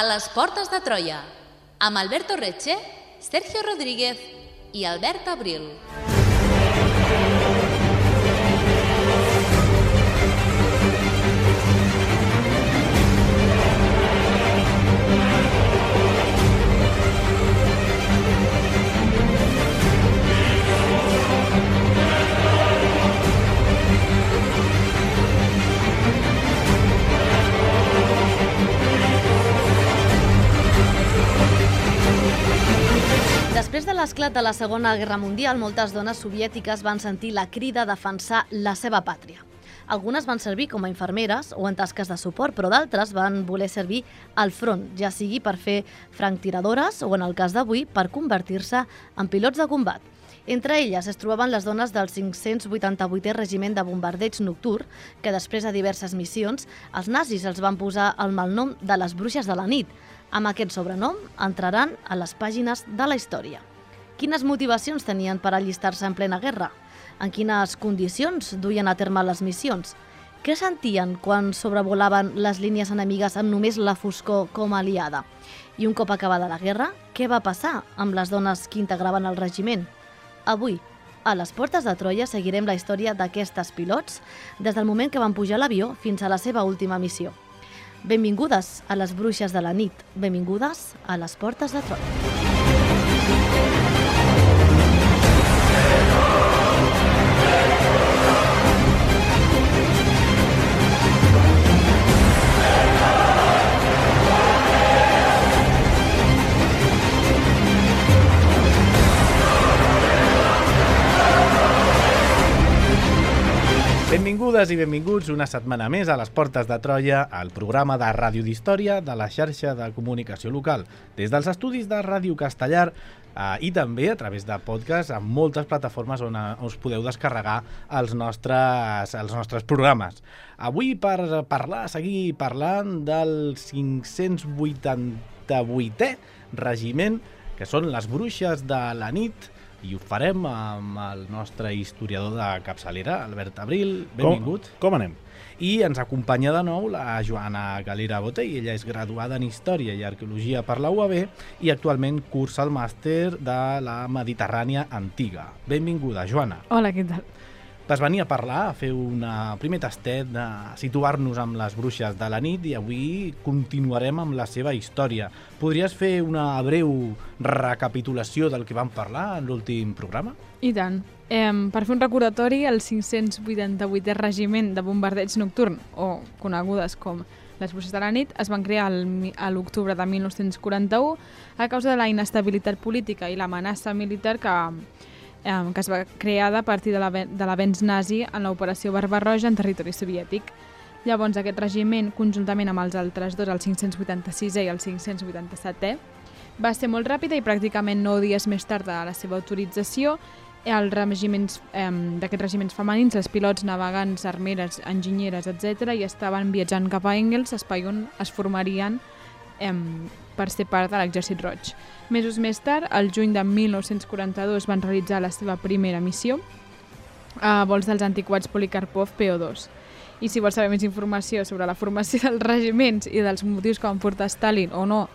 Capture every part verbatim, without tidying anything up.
A les portes de Troia, amb Alberto Reche, Sergio Rodríguez i Albert Abril. Després de l'esclat de la Segona Guerra Mundial, moltes dones soviètiques van sentir la crida a defensar la seva pàtria. Algunes van servir com a infermeres o en tasques de suport, però d'altres van voler servir al front, ja sigui per fer franctiradores o, en el cas d'avui, per convertir-se en pilots de combat. Entre elles es trobaven les dones del cinc-cents vuitanta-vuitè Regiment de Bombardeig Nocturn, que després de diverses missions, els nazis els van posar el malnom de les bruixes de la nit. Amb aquest sobrenom entraran a les pàgines de la història. Quines motivacions tenien per allistar-se en plena guerra? En quines condicions duien a terme les missions? Què sentien quan sobrevolaven les línies enemigues amb només la foscor com a aliada? I un cop acabada la guerra, què va passar amb les dones que integraven el regiment? Avui, a les portes de Troia, seguirem la història d'aquestes pilots des del moment que van pujar a l'avió fins a la seva última missió. Benvingudes a les bruixes de la nit. Benvingudes a les portes de Troia. Benvingudes i benvinguts una setmana més a les Portes de Troia, al programa de ràdio d'història de la xarxa de comunicació local, des dels estudis de Ràdio Castellar eh, i també a través de podcast en moltes plataformes on eh, us podeu descarregar els nostres, els nostres programes. Avui per parlar, seguir parlant del cinc-cents vuitanta-vuitè Regiment, que són les bruixes de la nit, i ho farem amb el nostre historiador de capçalera, Albert Abril. Benvingut. Com, com anem? I ens acompanya de nou la Joana Galera Botey. Ella és graduada en Història i Arqueologia per la U A B i actualment cursa el màster de la Mediterrània Antiga. Benvinguda, Joana. Hola, què tal? Vas venir a parlar, a fer un primer tastet de situar-nos amb les bruixes de la nit i avui continuarem amb la seva història. Podries fer una breu recapitulació del que vam parlar en l'últim programa? I tant. Eh, per fer un recordatori, el cinc-cents vuitanta-vuitè Regiment de Bombardeig Nocturn, o conegudes com les bruixes de la nit, es van crear a l'octubre de mil nou-cents quaranta-u a causa de la inestabilitat política i l'amenaça militar que... que es va crear a partir de l'avenç nazi en l'operació Barbarroja en territori soviètic. Llavors, aquest regiment, conjuntament amb els altres dos, el cinc-cents vuitanta-sisè i el cinc-cents vuitanta-setè, va ser molt ràpida i pràcticament nou dies més tard de la seva autorització, els regiments eh, d'aquests regiments femenins, els pilots, navegants, armeres, enginyeres, etcètera, i estaven viatjant cap a Engels, espai on es formarien eh, per ser part de l'Exèrcit Roig. Mesos més tard, al juny de mil nou-cents quaranta-dos, van realitzar la seva primera missió a vols dels antiquats Polikarpov P O dos. I si vols saber més informació sobre la formació dels regiments i dels motius que van portar Stalin o no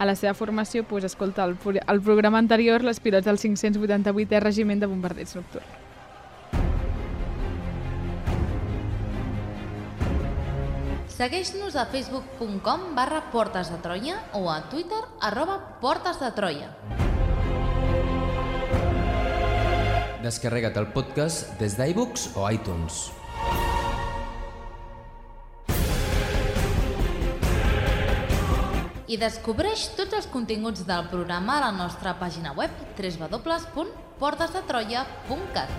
a la seva formació, doncs escolta el, el programa anterior, les pilots del cinc-cents vuitanta-vuitè Regiment de Bombardeig Nocturn. Segueix-nos a facebook punt com barra Portes de Troia o a Twitter arroba Portes de Troia. Descarrega't el podcast des d'iBooks o iTunes. I descobreix tots els continguts del programa a la nostra pàgina web w w w punt portes de troia punt cat.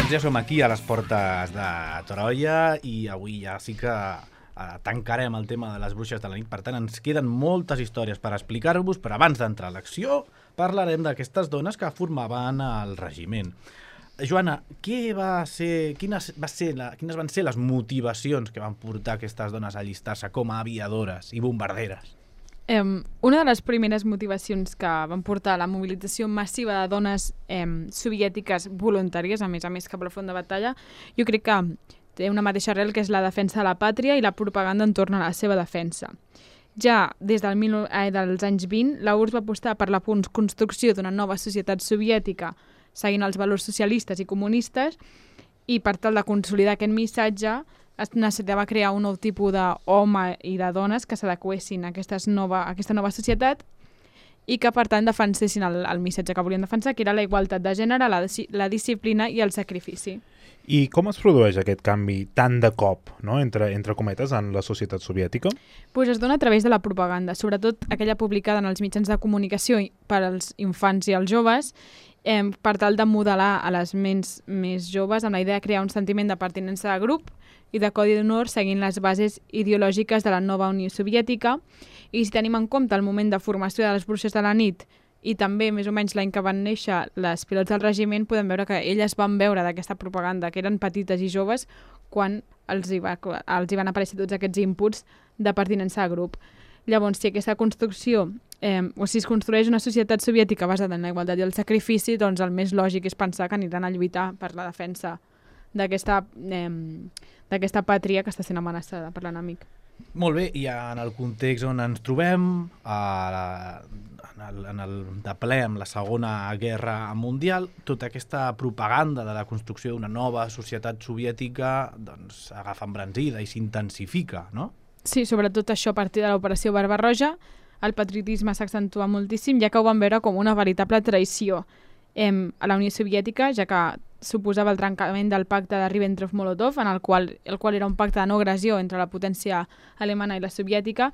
Ja som aquí a les portes de Troia i avui ja sí que eh, tancarem el tema de les bruixes de la nit. Per tant, ens queden moltes històries per explicar-vos, però abans d'entrar a l'acció parlarem d'aquestes dones que formaven el regiment. Joana, què va ser, quines, va ser la, quines van ser les motivacions que van portar aquestes dones a allistar-se com a aviadores i bombarderes? Eh, una de les primeres motivacions que van portar a la mobilització massiva de dones eh, soviètiques voluntàries, a més a més cap a la front de batalla, jo crec que té una mateixa arrel, que és la defensa de la pàtria i la propaganda entorn a la seva defensa. Ja des del mil, eh, dels anys vint, la U R S S va apostar per la construcció d'una nova societat soviètica seguint els valors socialistes i comunistes, i per tal de consolidar aquest missatge es necessitava crear un nou tipus d'home i de dones que s'adequessin a, nova, a aquesta nova societat i que, per tant, defensessin el, el missatge que volien defensar, que era la igualtat de gènere, la, la disciplina i el sacrifici. I com es produeix aquest canvi tan de cop, no? entre, entre cometes, en la societat soviètica? Pues es dona a través de la propaganda, sobretot aquella publicada en els mitjans de comunicació per als infants i als joves, eh, per tal de modelar a les ments més joves amb la idea de crear un sentiment de pertinença de grup i de codi d'honor seguint les bases ideològiques de la nova Unió Soviètica. I si tenim en compte el moment de formació de les bruixes de la nit i també més o menys l'any que van néixer les pilots del regiment, podem veure que elles van veure d'aquesta propaganda, que eren petites i joves, quan els hi, va, els hi van aparèixer tots aquests inputs de pertinença a grup. Llavors, si aquesta construcció, eh, o si es construeix una societat soviètica basada en la igualtat i el sacrifici, doncs el més lògic és pensar que aniran a lluitar per la defensa d'aquesta eh, d'aquesta pàtria que està sent amenaçada per l'enemic. Molt bé, i en el context on ens trobem, a la, en, el, en el de ple amb la Segona Guerra Mundial, tota aquesta propaganda de la construcció d'una nova societat soviètica doncs, agafa embranzida i s'intensifica, no? Sí, sobretot això a partir de l'operació Barbarroja, el patriotisme s'accentua moltíssim, ja que ho van veure com una veritable traïció eh, a la Unió Soviètica, ja que suposava el trencament del pacte de Ribbentrop-Molotov, en el qual, el qual era un pacte de no agressió entre la potència alemana i la soviètica,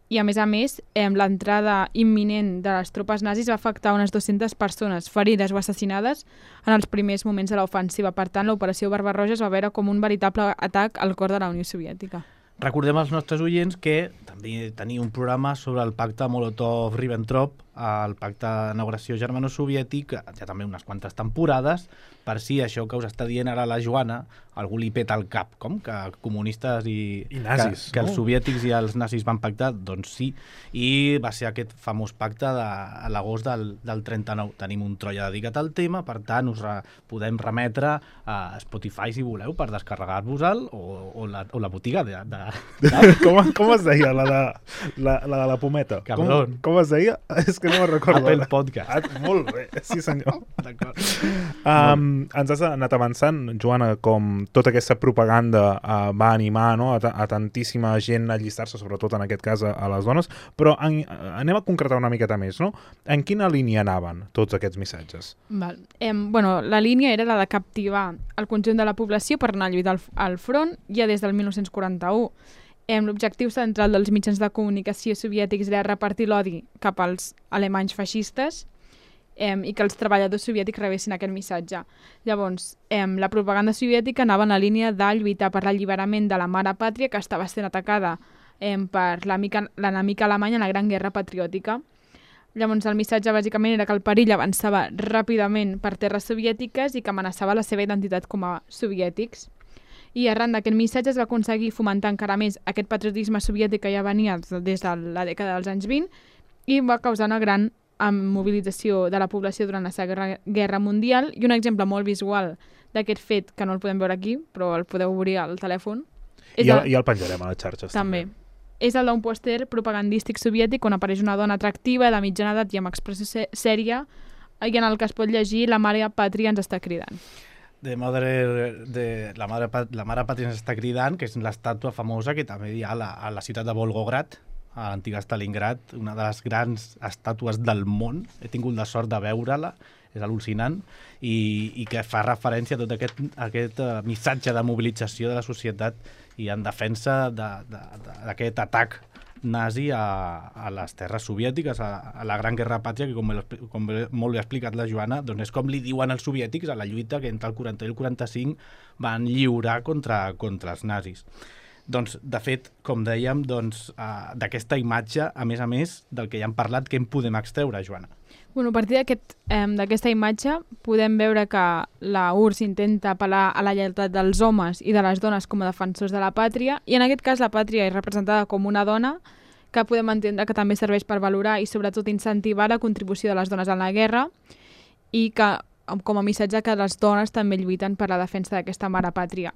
i a més a més, eh, l'entrada imminent de les tropes nazis va afectar unes dues-centes persones ferides o assassinades en els primers moments de l'ofensiva. Per tant, l'operació Barbarroja es va veure com un veritable atac al cor de la Unió Soviètica. Recordem als nostres oients que també tenia un programa sobre el pacte Molotov-Ribbentrop, el pacte de no agressió germano-soviètic, ja també unes quantes temporades, per si això que us està dient ara la Joana, algú li peta el cap, com que comunistes i, I nazis, que, que no? els soviètics i els nazis van pactar, doncs sí, i va ser aquest famós pacte de, a l'agost del, del trenta-nou. Tenim un Troia dedicat al tema, per tant us re, podem remetre a Spotify si voleu per descarregar-vos-el o, o, la, o la botiga de... de, de... com, com es deia la de la, la, de la pometa? Cabron. Com, com es deia? És que no me'n recordo. Apple Podcast. Ah, molt bé, sí senyor. D'acord. Um, ens has anat avançant, Joana, com tota aquesta propaganda uh, va animar, no, a, a tantíssima gent a allistar-se, sobretot en aquest cas a, a les dones, però en, anem a concretar una miqueta més, no? En quina línia anaven tots aquests missatges? Val. Eh, bueno, la línia era la de captivar el conjunt de la població per anar a lluitar al, al front ja des del mil nou-cents quaranta-u. Eh, L'objectiu central dels mitjans de comunicació soviètics era repartir l'odi cap als alemanys feixistes eh, i que els treballadors soviètics rebessin aquest missatge. Llavors, eh, la propaganda soviètica anava en la línia de lluitar per l'alliberament de la mare pàtria que estava sent atacada eh, per l'enemic alemany en la Gran Guerra Patriòtica. Llavors, el missatge bàsicament era que el perill avançava ràpidament per terres soviètiques i que amenaçava la seva identitat com a soviètics. I arran d'aquest missatge es va aconseguir fomentar encara més aquest patriotisme soviètic que ja venia des de la dècada dels anys vint i va causar una gran mobilització de la població durant la Segona Guerra Mundial. I un exemple molt visual d'aquest fet, que no el podem veure aquí, però el podeu obrir al telèfon. I el, i el penjarem a les xarxes. També. també. És el d'un pòster propagandístic soviètic on apareix una dona atractiva, de mitjana edat i amb expressió sèria, i en el que es pot llegir "La mare pàtria ens està cridant". De madre, de, la, mare, la mare pàtria ens està cridant, que és l'estàtua famosa que també hi ha a la, a la ciutat de Volgograd, a l'antiga Stalingrad, una de les grans estàtues del món. He tingut la sort de veure-la, és al·lucinant, i, i que fa referència a tot aquest, aquest uh, missatge de mobilització de la societat i en defensa d'aquest de, de, atac nazi a, a les terres soviètiques, a, a la Gran Guerra Pàtria, que com, com molt bé ha explicat la Joana, doncs és com li diuen els soviètics a la lluita que entre el quaranta i el quaranta-cinc van lliurar contra, contra els nazis. Doncs, de fet, com dèiem, doncs, uh, d'aquesta imatge, a més a més del que ja hem parlat, què en podem extreure, Joana? Bueno, a partir d'aquesta aquest, eh, imatge podem veure que la U R S S intenta apel·lar a la lleialtat dels homes i de les dones com a defensors de la pàtria, i en aquest cas la pàtria és representada com una dona, que podem entendre que també serveix per valorar i sobretot incentivar la contribució de les dones en la guerra, i que com a missatge que les dones també lluiten per la defensa d'aquesta mare pàtria.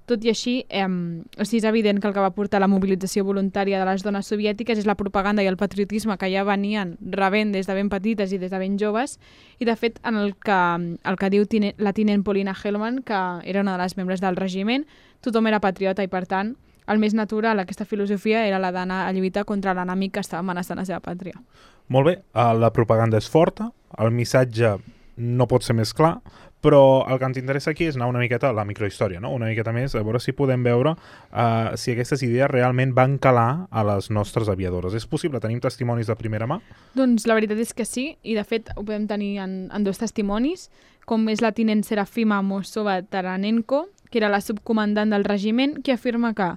Tot i així, eh, o sigui, és evident que el que va portar la mobilització voluntària de les dones soviètiques és la propaganda i el patriotisme que ja venien rebent des de ben petites i des de ben joves, i de fet en el que, el que diu tine, la tinent Polina Hellman, que era una de les membres del regiment, tothom era patriota i per tant el més natural aquesta filosofia era la d'anar a lluitar contra l'enemic que estava amenaçant la seva pàtria. Molt bé, la propaganda és forta, el missatge no pot ser més clar, però el que ens interessa aquí és anar una miqueta a la microhistòria, no? Una miqueta més, a veure si podem veure uh, si aquestes idees realment van calar a les nostres aviadores. És possible? Tenim testimonis de primera mà? Doncs la veritat és que sí, i de fet ho podem tenir en, en dos testimonis, com és la tinent Serafima Mosova-Taranenko, que era la subcomandant del regiment, que afirma que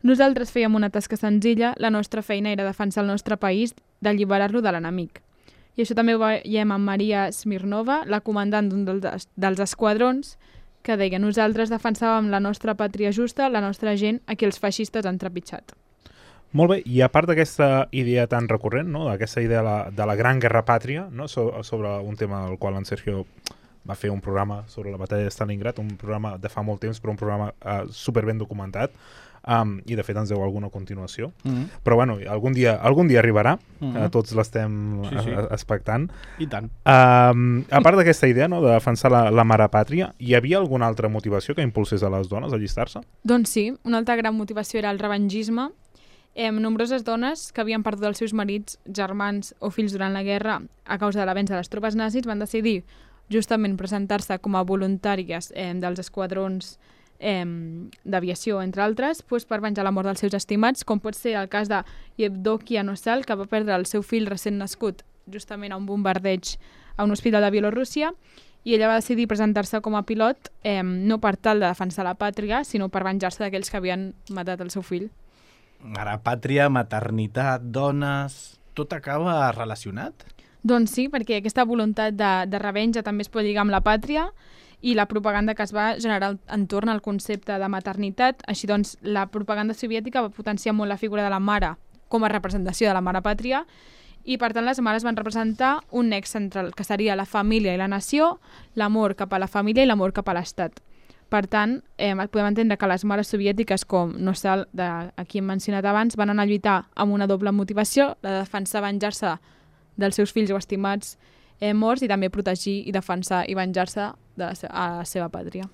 nosaltres fèiem una tasca senzilla, la nostra feina era defensar el nostre país d'alliberar-lo de l'enemic. I això també ho veiem amb Maria Smirnova, la comandant d'un dels, dels esquadrons, que deia: nosaltres defensàvem la nostra pàtria justa, la nostra gent, a qui els feixistes han trepitjat. Molt bé, i a part d'aquesta idea tan recurrent, no? D'aquesta idea de la, de la gran guerra pàtria, no? So, sobre un tema del qual en Sergio va fer un programa sobre la batalla de Stalingrad, un programa de fa molt temps, però un programa uh, super ben documentat, um, i de fet ens deu alguna continuació. Mm-hmm. Però bueno, algun dia, algun dia arribarà, mm-hmm. uh, tots l'estem sí, sí. uh, expectant. I tant. Um, a part d'aquesta idea, no?, de defensar la, la mare pàtria, hi havia alguna altra motivació que impulsés a les dones a allistar-se? Doncs sí, una altra gran motivació era el revengisme. Eh, nombroses dones que havien perdut els seus marits, germans o fills durant la guerra a causa de l'avenç de les tropes nazis van decidir justament presentar-se com a voluntàries eh, dels esquadrons eh, d'aviació, entre altres, pues, per venjar la mort dels seus estimats, com pot ser el cas de Yevdokia Nosal, que va perdre el seu fill recent nascut justament a un bombardeig a un hospital de Bielorússia, i ella va decidir presentar-se com a pilot eh, no per tal de defensar la pàtria, sinó per venjar-se d'aquells que havien matat el seu fill. Ara, pàtria, maternitat, dones... Tot acaba relacionat? Doncs sí, perquè aquesta voluntat de, de revenja també es pot lligar amb la pàtria i la propaganda que es va generar entorn al concepte de maternitat. Així doncs, la propaganda soviètica va potenciar molt la figura de la mare com a representació de la mare pàtria, i per tant les mares van representar un nex central, que seria la família i la nació, l'amor cap a la família i l'amor cap a l'estat. Per tant, eh, podem entendre que les mares soviètiques, com Nosal, de, a qui hem mencionat abans, van anar a lluitar amb una doble motivació, la de defensar, venjar-se dels seus fills o estimats eh, morts, i també protegir i defensar i venjar-se de la, a la seva pàtria.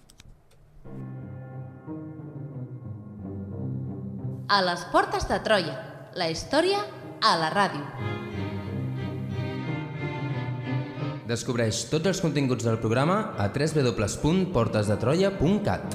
A les portes de Troia, la història a la ràdio. Descobreix tots els continguts del programa a w w w punt portes de troia punt cat.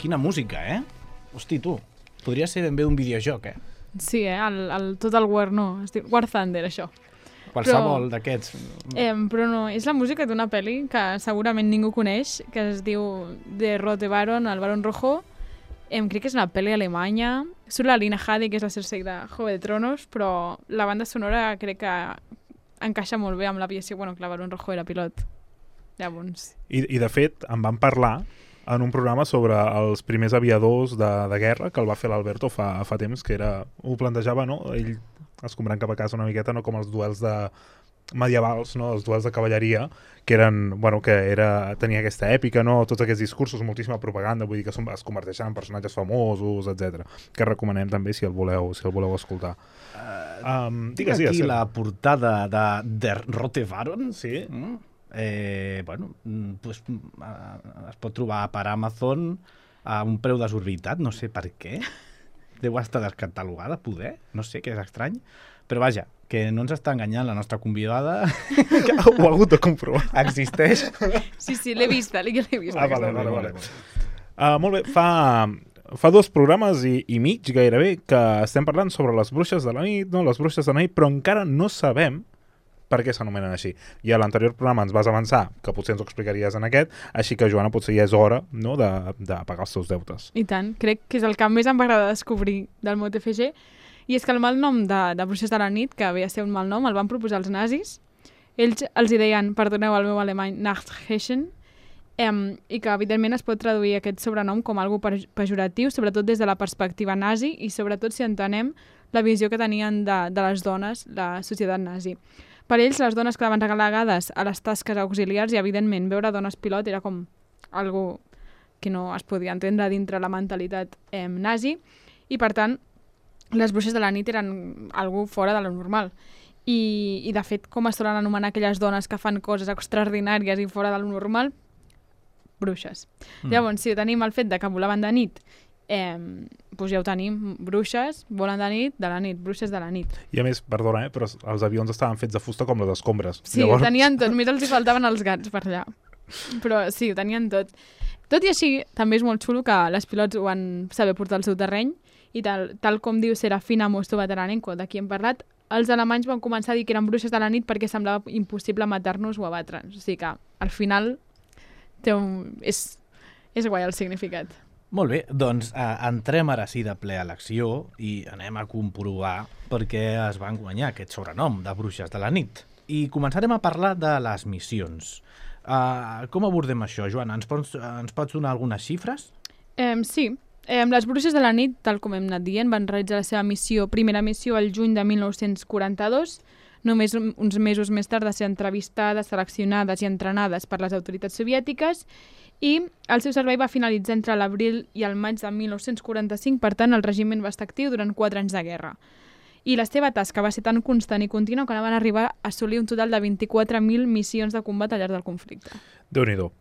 Quina música, eh? Hosti, tu, podria ser ben bé un videojoc, eh? Sí, eh? El, el, tot el War no, es diu War Thunder, això. Qualsevol d'aquests. Eh, però no, és la música d'una pel·li que segurament ningú coneix, que es diu The Rote Baron, el Barón Rojo. Eh, crec que és una pel·li alemanya. Surt la Lina Headey, que és la Cersei de Juego de Tronos, però la banda sonora crec que encaixa molt bé amb l'aviació. Bueno, que el Barón Rojo era pilot. Llavors... I, I de fet, en van parlar en un programa sobre els primers aviadors de, de guerra que el va fer l'Alberto fa, fa temps, que era, ho plantejava, no? Ell escombrant cap a casa una miqueta, no com els duels de medievals, no? Els duels de cavalleria, que eren, bueno, que era, tenia aquesta èpica, no? Tots aquests discursos, moltíssima propaganda, vull dir que són, es converteixen en personatges famosos, etcètera. Que recomanem també si el voleu, si el voleu escoltar. Uh, um, Tinc aquí sí, la portada de Der Rote Baron, sí. Mm. Eh, bueno, pues, uh, es pot trobar per Amazon a un preu desorbitat, no sé per què. Deu estar descatalogada, poder, no sé, que és estrany. Però vaja, que no ens està enganyant la nostra convidada. Ho ha hagut de comprovar. Existeix. Sí, sí, l'he vista, l'he vista. Ah, vale, vale, vale. Uh, molt bé, fa, fa dos programes i, i mig, gairebé, que estem parlant sobre les bruixes de la nit, no? Les bruixes de la nit, però encara no sabem per què s'anomenen així. I a l'anterior programa ens vas avançar, que potser ens ho explicaries en aquest, així que, Joana, potser ja és hora, no?, de, de pagar els teus deutes. I tant, crec que és el que més em va agradar descobrir del Mot F G, i és que el malnom de, de Bruixes de la nit, que havia de ser un malnom, el van proposar els nazis. Ells els hi deien, perdoneu el meu alemany, Nachtheschen, em, i que, evidentment, es pot traduir aquest sobrenom com algo pejoratiu, sobretot des de la perspectiva nazi, i sobretot si entenem la visió que tenien de, de les dones, la societat nazi. Per ells, les dones quedaven relegades a les tasques auxiliars i, evidentment, veure dones pilot era com algo que no es podia entendre dintre la mentalitat eh, nazi, i, per tant, les bruixes de la nit eren algo fora de lo normal. I, i de fet, com es solen anomenar aquelles dones que fan coses extraordinàries i fora de lo normal? Bruixes. Mm. Llavors, si tenim el fet de que volaven de nit, Eh, doncs ja ho tenim, bruixes, volen de nit, de la nit, bruixes de la nit. I a més, perdona, eh, però els avions estaven fets de fusta com les escombres. Sí, Llavors... ho tenien tot, només els hi faltaven els gats per allà. Però sí, ho tenien tot. Tot i així, també és molt xulo que les pilots ho van saber portar al seu terreny i tal, tal com diu Serafina Mosto-Bataranenko, de qui hem parlat, els alemanys van començar a dir que eren bruixes de la nit perquè semblava impossible matar-nos o abatre'ns. O sigui que, al final, té un... és, és guai el significat. Molt bé, doncs eh, entrem ara sí de ple a l'acció i anem a comprovar per què es van guanyar aquest sobrenom de bruixes de la nit. I començarem a parlar de les missions. Uh, com abordem això, Joana? Ens pots, ens pots donar algunes xifres? Eh, sí. Eh, les bruixes de la nit, tal com hem anat dient, van realitzar la seva missió, primera missió el juny de mil nou-cents quaranta-dos, només uns mesos més tard de ser entrevistades, seleccionades i entrenades per les autoritats soviètiques, i el seu servei va finalitzar entre l'abril i el maig de mil nou-cents quaranta-cinc, per tant el regiment va estar actiu durant quatre anys de guerra. I la seva tasca va ser tan constant i contínua que van arribar a assolir un total de vint-i-quatre mil missions de combat al llarg del conflicte. Déu-n'hi-do.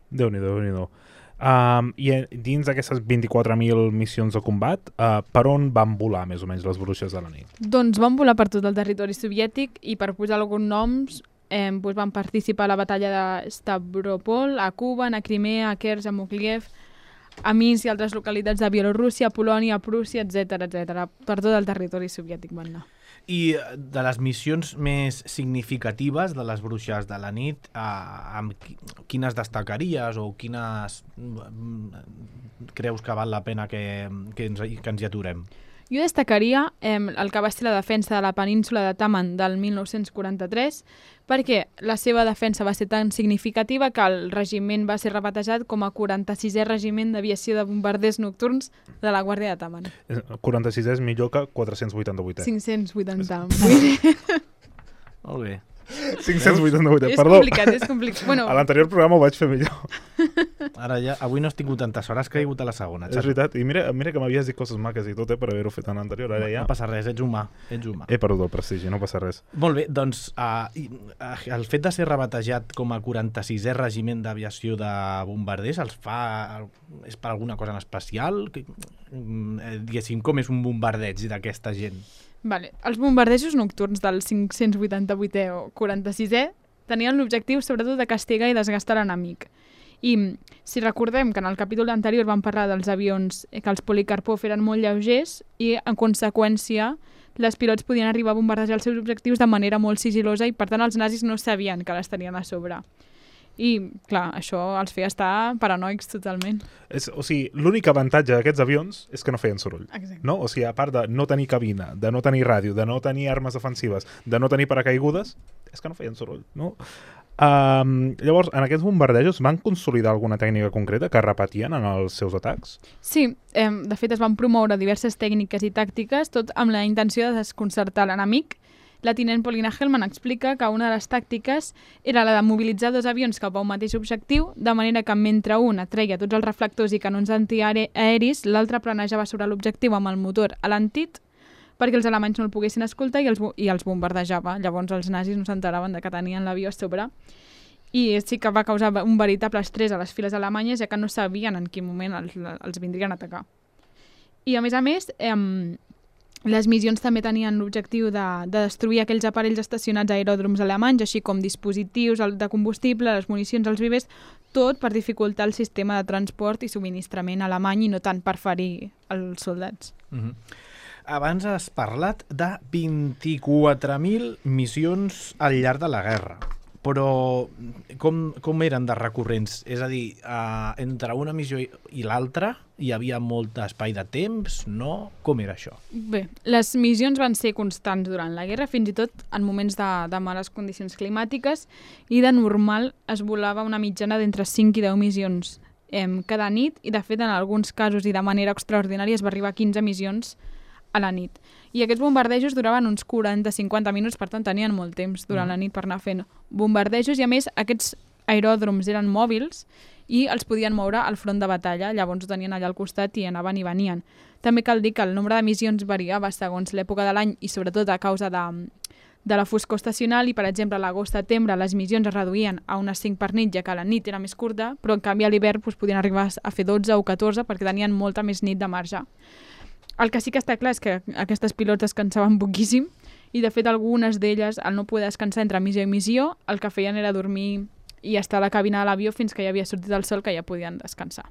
Déu-n'hi-do, Déu-n'hi-do. Um, I dins d'aquestes vint-i-quatre mil missions de combat, uh, per on van volar més o menys les bruixes de la nit? Doncs van volar per tot el territori soviètic i, per posar alguns noms, eh, doncs van participar a la batalla de Stavropol, a Cuba, a Crimea, a Kers, a Mokliev, a Minsk i altres localitats de Bielorússia, Polònia, Prússia, etcètera, etcètera. Per tot el territori soviètic van anar. I de les missions més significatives de les bruixes de la nit, eh, amb quines destacaries o quines creus que val la pena que, que, ens, que ens hi aturem? Jo destacaria eh, el que va ser la defensa de la península de Taman del mil nou-cents quaranta-tres, perquè la seva defensa va ser tan significativa que el regiment va ser rebatejat com a quaranta-sisè regiment d'aviació de bombarders nocturns de la Guàrdia de Taman. quaranta-sisè és millor que quatre-cents vuitanta-vuit. cinc-cents vuitanta-vuit. Molt bé. cinc-cents vuitanta-vuit, és perdó. complicat, és complicat. Bueno, a l'anterior programa ho vaig fer millor. Ara ja, avui no has tingut tantes hores, que he caigut a la segona. És veritat, i mira, mira que m'havies dit coses maques i tot, eh, per haver-ho fet en l'anterior. Ara ja... No passa res, ets humà, ets humà. He perdut el prestigi, no passa res. Molt bé, doncs uh, el fet de ser rebatejat com a quaranta-sisè regiment d'aviació de bombarders els fa... és per alguna cosa en especial? Que, diguéssim, com és un bombardeig d'aquesta gent? Vale. Els bombardejos nocturns del cinc-cents vuitanta-vuitè o quaranta-sisè tenien l'objectiu sobretot de castigar i desgastar l'enemic. I si recordem que en el capítol anterior vam parlar dels avions, que els Polikarpov eren molt lleugers i en conseqüència les pilots podien arribar a bombardejar els seus objectius de manera molt sigilosa i, per tant, els nazis no sabien que les tenien a sobre. I, clar, això els feia estar paranoics totalment. És, o sigui, l'únic avantatge d'aquests avions és que no feien soroll. Exacte. No? O sigui, a part de no tenir cabina, de no tenir ràdio, de no tenir armes defensives, de no tenir paracaigudes, és que no feien soroll, no? Um, llavors, en aquests bombardejos van consolidar alguna tècnica concreta que repetien en els seus atacs? Sí, eh, de fet es van promoure diverses tècniques i tàctiques, tot amb la intenció de desconcertar l'enemic. La tinent Paulina Hellman explica que una de les tàctiques era la de mobilitzar dos avions cap a un mateix objectiu, de manera que mentre un atreia tots els reflectors i canons antiaeris, l'altre planejava sobre l'objectiu amb el motor alentit perquè els alemanys no el poguessin escoltar i els, i els bombardejava. Llavors els nazis no s'enteraven de que tenien l'avió a sobre. I sí que va causar un veritable estrès a les files alemanyes, ja que no sabien en quin moment els, els vindrien a atacar. I a més a més, eh, les missions també tenien l'objectiu de, de destruir aquells aparells estacionats a aeròdroms alemanys, així com dispositius de combustible, les municions, els vivers, tot per dificultar el sistema de transport i subministrament alemany i no tant per ferir els soldats. Mm-hmm. Abans has parlat de vint-i-quatre mil missions al llarg de la guerra, però com, com eren de recurrents? És a dir, uh, entre una missió i, i l'altra hi havia molt espai de temps, no? Com era això? Bé, les missions van ser constants durant la guerra, fins i tot en moments de, de males condicions climàtiques, i de normal es volava una mitjana d'entre cinc i deu missions eh, cada nit, i de fet en alguns casos i de manera extraordinària es va arribar a quinze missions a la nit. I aquests bombardejos duraven uns quaranta a cinquanta minuts, per tant tenien molt temps durant mm. la nit per anar fent bombardejos, i a més aquests aeròdroms eren mòbils i els podien moure al front de batalla, llavors ho tenien allà al costat i anaven i venien. També cal dir que el nombre de missions variava segons l'època de l'any i sobretot a causa de, de la foscor estacional, i per exemple a l'agost-setembre les missions es reduïen a unes cinc per nit, ja que la nit era més curta, però en canvi a l'hivern doncs, podien arribar a fer dotze o catorze perquè tenien molta més nit de marge. El que sí que està clar és que aquestes pilots descansaven poquíssim i, de fet, algunes d'elles, al no poder descansar entre missió i missió, el que feien era dormir i estar a la cabina de l'avió fins que ja havia sortit el sol, que ja podien descansar.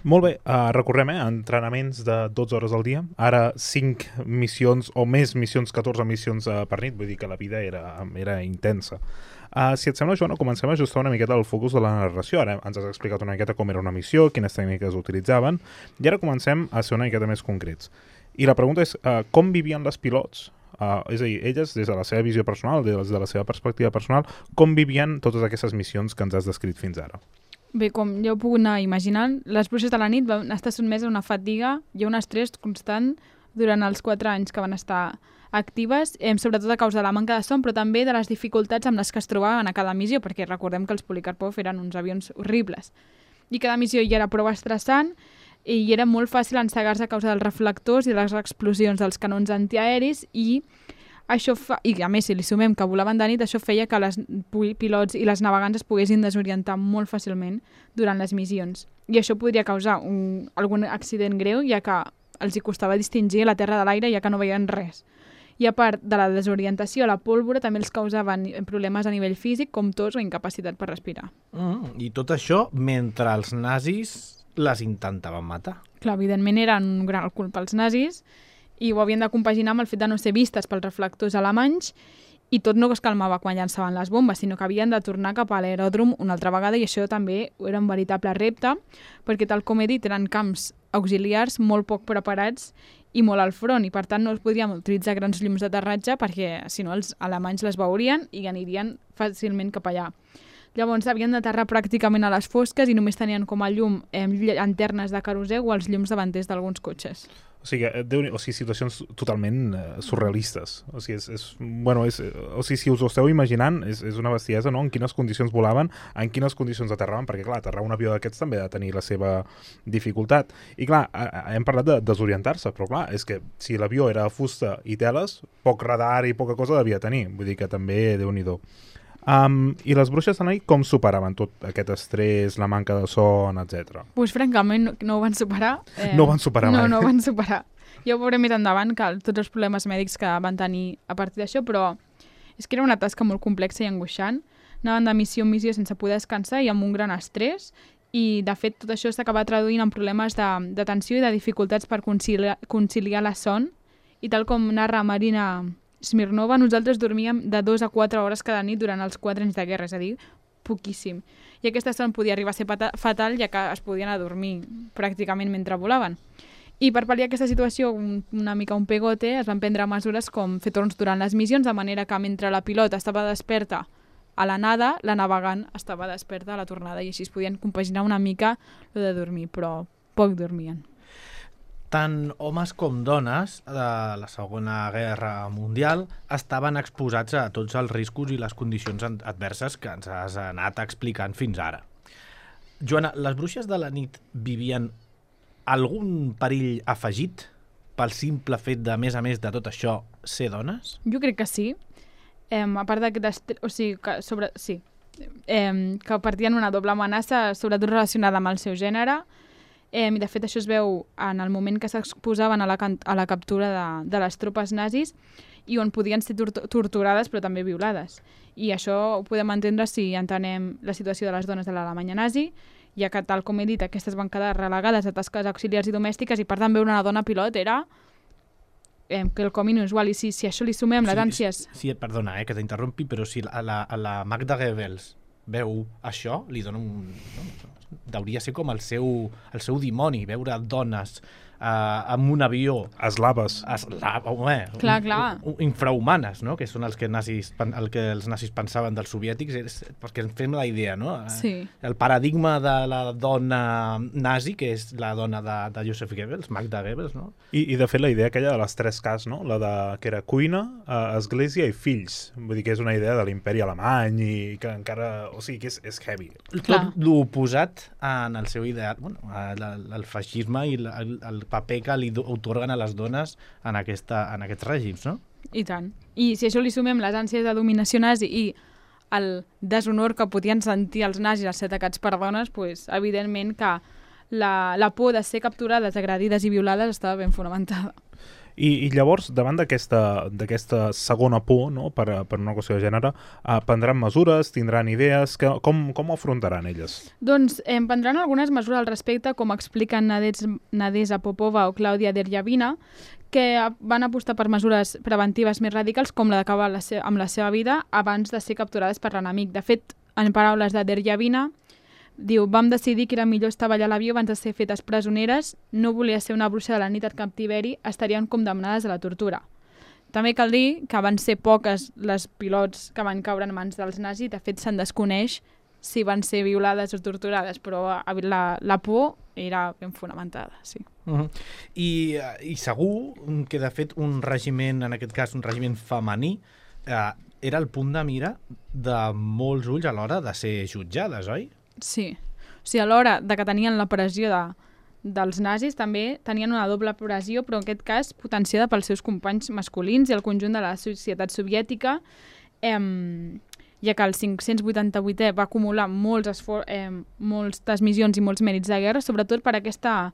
Molt bé, uh, recorrem, eh? Entrenaments de dotze hores al dia, ara cinc missions o més missions, catorze missions uh, per nit, vull dir que la vida era, era intensa. Uh, si et sembla, Joana, comencem a ajustar una miqueta el focus de la narració. Ara ens has explicat una miqueta com era una missió, quines tècniques utilitzaven, i ara comencem a ser una miqueta més concrets. I la pregunta és, uh, com vivien les pilots? Uh, és a dir, elles, des de la seva visió personal, des de la seva perspectiva personal, com vivien totes aquestes missions que ens has descrit fins ara? Bé, com ja ho puc anar imaginant, les bruixes de la nit van estar sotmeses a una fatiga i a un estrès constant durant els quatre anys que van estar actives, eh, sobretot a causa de la manca de son, però també de les dificultats amb les que es trobaven a cada missió, perquè recordem que els Polikarpov eren uns avions horribles. I cada missió ja era prou estressant i era molt fàcil encegar-se a causa dels reflectors i de les explosions dels canons antiaeris, i això fa, i a més si li sumem que volaven de nit, això feia que les pilots i les navegants es poguessin desorientar molt fàcilment durant les missions. I això podria causar un, algun accident greu, ja que els hi costava distingir la terra de l'aire, ja que no veien res. I a part de la desorientació, la pólvora també els causaven problemes a nivell físic, com tos o incapacitat per respirar. Mm, I tot això mentre els nazis les intentaven matar. Clar, evidentment eren un gran culpa els nazis, i ho havien de compaginar amb el fet de no ser vistes pels reflectors alemanys, i tot no es calmava quan llançaven les bombes, sinó que havien de tornar cap a l'aeròdrom una altra vegada, i això també era un veritable repte, perquè tal com he dit, eren camps auxiliars molt poc preparats i molt al front, i per tant no es podrien utilitzar grans llums d'aterratge perquè si no els alemanys les veurien i anirien fàcilment cap allà. Llavors havien d'aterrar pràcticament a les fosques i només tenien com a llum eh, llanternes de querosè o els llums davanters d'alguns cotxes. O sigui, Déu, o sigui situacions totalment uh, surrealistes. O sigui, és, és, bueno, és, o sigui, si us ho esteu imaginant, és, és una bestiesa, no? En quines condicions volaven, en quines condicions aterraven, perquè, clar, aterrar un avió d'aquests també ha de tenir la seva dificultat. I, clar, hem parlat de desorientar-se, però, clar, és que si l'avió era fusta i teles, poc radar i poca cosa devia tenir. Vull dir que també, Déu-n'hi-do. Um, I les bruixes de la nit com superaven tot aquest estrès, la manca de son, etcètera? Pues francament no, no ho van superar. Eh, no ho van superar mai. No, no ho van superar. Ja ho veurem més endavant, que tots els problemes mèdics que van tenir a partir d'això, però és que era una tasca molt complexa i angoixant. Anaven de missió en missió sense poder descansar i amb un gran estrès, i de fet tot això s'acaba traduint en problemes de, de tensió i de dificultats per conciliar, conciliar la son i tal com narra Marina Smirnova, nosaltres dormíem de dos a quatre hores cada nit durant els quatre anys de guerra, és a dir, poquíssim. I aquesta son podia arribar a ser fatal, ja que es podien anar a dormir pràcticament mentre volaven. I per pal·liar aquesta situació, un, una mica un pegote, es van prendre mesures com fer torns durant les missions, de manera que mentre la pilota estava desperta a la nada, la navegant estava desperta a la tornada, i així es podien compaginar una mica lo de dormir, però poc dormien. Tant homes com dones de la Segona Guerra Mundial estaven exposats a tots els riscos i les condicions adverses que ens has anat explicant fins ara. Joana, les bruixes de la nit vivien algun perill afegit pel simple fet de, a més a més de tot això, ser dones? Jo crec que sí. Eh, a part d'aquest... O sigui, que sobre... Sí. Eh, que partien una doble amenaça, sobretot relacionada amb el seu gènere. Eh, I de fet això es veu en el moment que s'exposaven a, la, a la captura de, de les tropes nazis i on podien ser torturades però també violades. I això ho podem entendre si entenem la situació de les dones de l'Alemanya nazi, ja que, tal com he dit, aquestes van quedar relegades a tasques auxiliars i domèstiques i per tant veure una dona pilot era eh, quelcom inusual. I si, si això li sumem les ànsies... Sí, sí, perdona, eh, que t'interrompi, però si a la, a la Magda Goebbels veu això, li dona un... No, hauria ser com el seu, el seu dimoni, veure dones eh, amb un avió... Eslaves. Esla, home, clar, clar. Un, un, infrahumanes, no? Que són els que, nazis, el que els nazis pensaven dels soviètics, és, perquè ens fem la idea, no? Sí. El paradigma de la dona nazi, que és la dona de, de Joseph Goebbels, Magda Goebbels, no? I, I de fet la idea aquella de les tres Ks, no? La de que era cuina, eh, església i fills. Vull dir que és una idea de l'imperi alemany i que encara... O sigui, que és, és heavy. Clar. Tot l'oposat en el seu ideal, bueno, el, el feixisme i el, el paper que li otorguen a les dones en, aquesta, en aquests règims, no? I tant. I si això li sumem les ànsies de dominació nazi i el deshonor que podien sentir els nazis als ser atacats per dones, pues, evidentment que la, la por de ser capturades, agredides i violades estava ben fonamentada. I, i llavors, davant d'aquesta segona por, no, per, per una qüestió de gènere, eh, prendran mesures, tindran idees, que, com, com ho afrontaran elles? Doncs eh, prendran algunes mesures al respecte, com expliquen Nadezhda Popova o Clàudia Derjavina, que van apostar per mesures preventives més radicals, com la d'acabar la amb la seva vida abans de ser capturades per l'enemic. De fet, en paraules de Derjavina, diu, vam decidir que era millor estar allà a l'avió abans de ser fetes presoneres, no volia ser una bruixa de la nit al captiveri, estarien condemnades a la tortura. També cal dir que van ser poques les pilots que van caure en mans dels nazis, de fet se'n desconeix si van ser violades o torturades, però la, la por era ben fonamentada, sí. Uh-huh. I, I segur que, de fet, un regiment, en aquest cas un regiment femení, eh, era el punt de mira de molts ulls a l'hora de ser jutjades, oi? Sí. O sigui, a l'hora de que tenien la pressió de, dels nazis, també tenien una doble pressió, però en aquest cas potenciada pels seus companys masculins i el conjunt de la societat soviètica, eh, ja que el cinc-cents vuitanta-vuitè va acumular molts esfor eh, moltes missions i molts mèrits de guerra, sobretot per aquesta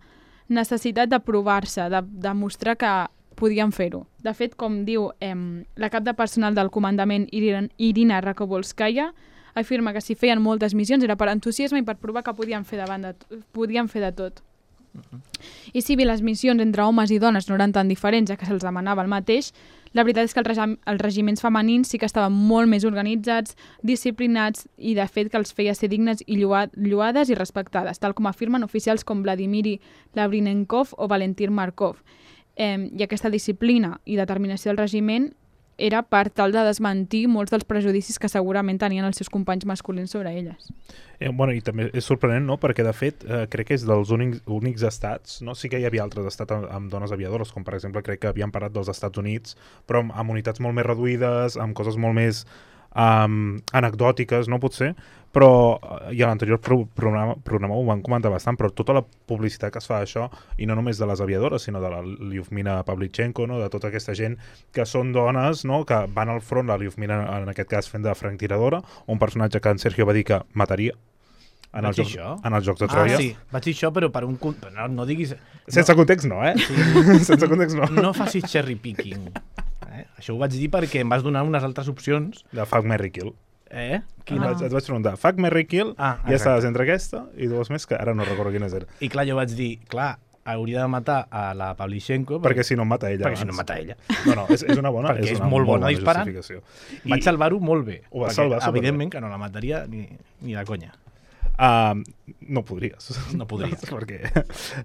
necessitat de provar-se, de, de mostrar que podien fer-ho. De fet, com diu eh, la cap de personal del comandament Irina, Irina Rakobolskaya, afirma que si feien moltes missions era per entusiasme i per provar que podien fer, davant de, podien fer de tot. Uh-huh. I si bé les missions entre homes i dones no eren tan diferents, ja que se'ls demanava el mateix, la veritat és que els, regi els regiments femenins sí que estaven molt més organitzats, disciplinats i de fet que els feia ser dignes i lloades i respectades, tal com afirmen oficials com Vladimir Lavrinenkov o Valentin Markov. Eh, I aquesta disciplina i determinació del regiment era per tal de desmentir molts dels prejudicis que segurament tenien els seus companys masculins sobre elles. Eh, bueno, i també és sorprenent, no?, perquè de fet eh, crec que és dels únics, únics estats, no? Sí que hi havia altres estats amb, amb dones aviadores, com per exemple crec que havien parlat dels Estats Units, però amb, amb unitats molt més reduïdes, amb coses molt més um, anecdòtiques, no potser, però, i a l'anterior pro programa, programa ho van comentar bastant, però tota la publicitat que es fa d'això, i no només de les aviadores, sinó de la Lyudmila Pavlichenko, no?, de tota aquesta gent que són dones, no?, que van al front, la Lyudmila en aquest cas fent de franctiradora, un personatge que en Sergio va dir que mataria en els, jocs, en els Jocs de Troia. Ah, sí, vaig dir això, però per un... No, no diguis... Sense no. context no, eh? Sí. Sense context no. No facis cherry picking. Eh? Això ho vaig dir perquè em vas donar unes altres opcions. De Fuck, Marry, Kill. Eh? Quina? Ah. Et vaig preguntar, Fuck, Marry, Kill, ah, i ja estaves entre aquesta i dues més que ara no recordo quines eren. I clar, jo vaig dir, clar, hauria de matar a la Pavlichenko Perquè si no em mata ella. perquè si no abans. em mata ella. No, no, és, és una bona, Perquè és és una molt bona disparant. justificació. Vaig salvar-ho molt bé. Ho vas perquè, salvar superbé. evidentment que no la mataria ni, ni de conya. Uh, no podries. No podries. Perquè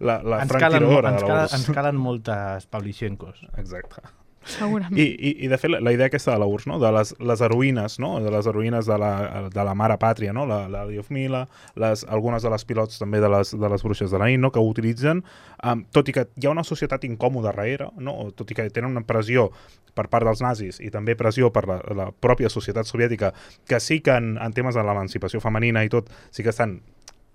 la, la ens, calen, franquiradora ens, de la calen, U R S S. ens calen moltes Pavlichenkos. Exacte. Segurament. I, i, i de fet, la, la idea aquesta de la U R S S, no? De les, les heroïnes, no? De les heroïnes de la, de la mare pàtria, no? La, la Diofmila, les, algunes de les pilots també de les, de les bruixes de la nit, no? Que ho utilitzen, um, tot i que hi ha una societat incòmoda darrere, no? Tot i que tenen una pressió per part dels nazis i també pressió per la, la pròpia societat soviètica, que sí que en, en temes de l'emancipació femenina i tot, sí que estan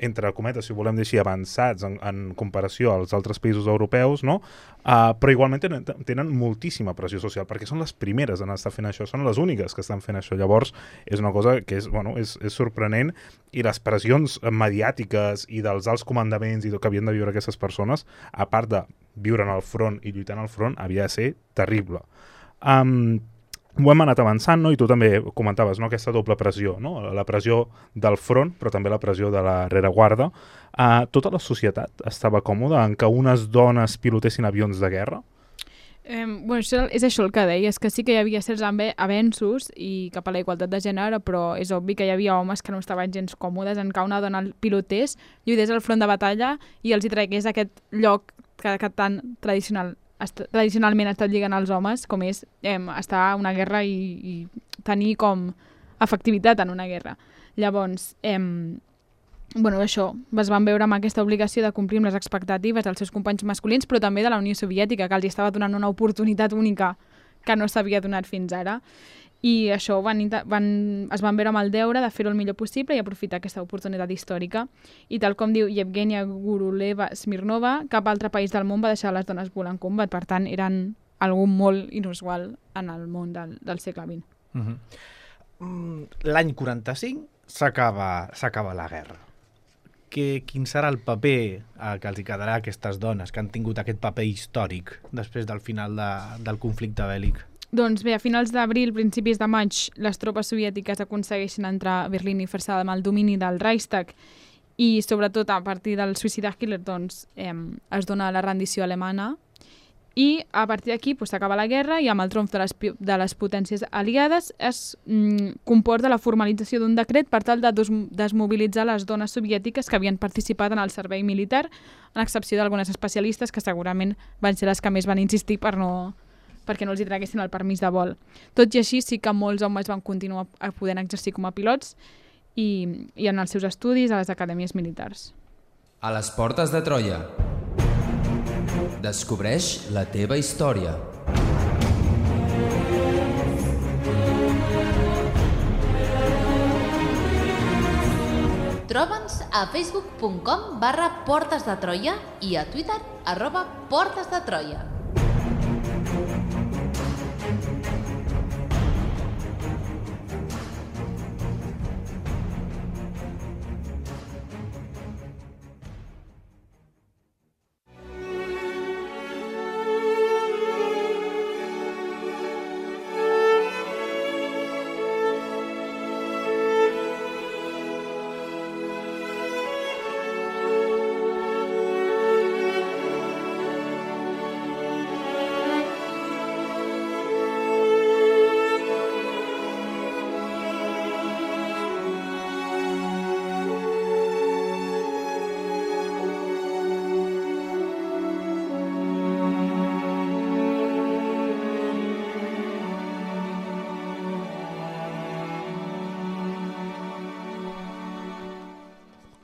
entre cometes, si ho volem dir així, avançats en, en comparació als altres països europeus, no? Uh, però igualment tenen, tenen moltíssima pressió social, perquè són les primeres en estar fent això, són les úniques que estan fent això. Llavors, és una cosa que és, bueno, és, és sorprenent, i les pressions mediàtiques i dels alts comandaments i tot que havien de viure aquestes persones, a part de viure en el front i lluitant al front, havia de ser terrible. Um, ho hem anat avançant, no? I tu també comentaves, no? Aquesta doble pressió, no? La pressió del front, però també la pressió de la rereguarda. Uh, tota la societat estava còmoda en que unes dones pilotessin avions de guerra? Eh, bueno, això, és això el que deies, que sí que hi havia certs avenços i cap a la igualtat de gènere, però és obvi que hi havia homes que no estaven gens còmodes en que una dona pilotés, lluités al front de batalla i els hi tragués aquest lloc que, que tan tradicional tradicionalment ha estat lligant als homes, com és eh, estar a una guerra i, i tenir com efectivitat en una guerra. Llavors, eh, bueno, això, es van veure amb aquesta obligació de complir amb les expectatives dels seus companys masculins, però també de la Unió Soviètica, que els estava donant una oportunitat única que no s'havia donat fins ara. I això van, van, es van veure amb el deure de fer-ho el millor possible i aprofitar aquesta oportunitat històrica. I tal com diu Yevgenia Guruleva Smirnova, cap altre país del món va deixar les dones volar en combat. Per tant, eren algú molt inusual en el món del, del segle vint. Uh-huh. Mm, l'any quaranta-cinc s'acaba s'acaba la guerra. Que, quin serà el paper eh, que els hi quedarà a aquestes dones que han tingut aquest paper històric després del final de, del conflicte bèl·lic? Doncs bé, a finals d'abril, principis de maig, les tropes soviètiques aconsegueixen entrar a Berlín i fer-se amb el domini del Reichstag i, sobretot, a partir del suïcidi de Hitler, doncs, eh, es dona la rendició alemana i, a partir d'aquí, pues, s'acaba la guerra i amb el triomf de les, de les potències aliades es mm, comporta la formalització d'un decret per tal de des desmobilitzar les dones soviètiques que havien participat en el servei militar, en excepció d'algunes especialistes que segurament van ser les que més van insistir per no... perquè no els hi traguessin el permís de vol. Tot i així, sí que molts homes van continuar podent exercir com a pilots i, i en els seus estudis a les acadèmies militars. A les portes de Troia. Descobreix la teva història. Troba'ns a facebook punt com barra Portes de Troia i a Twitter arroba Portes de Troia.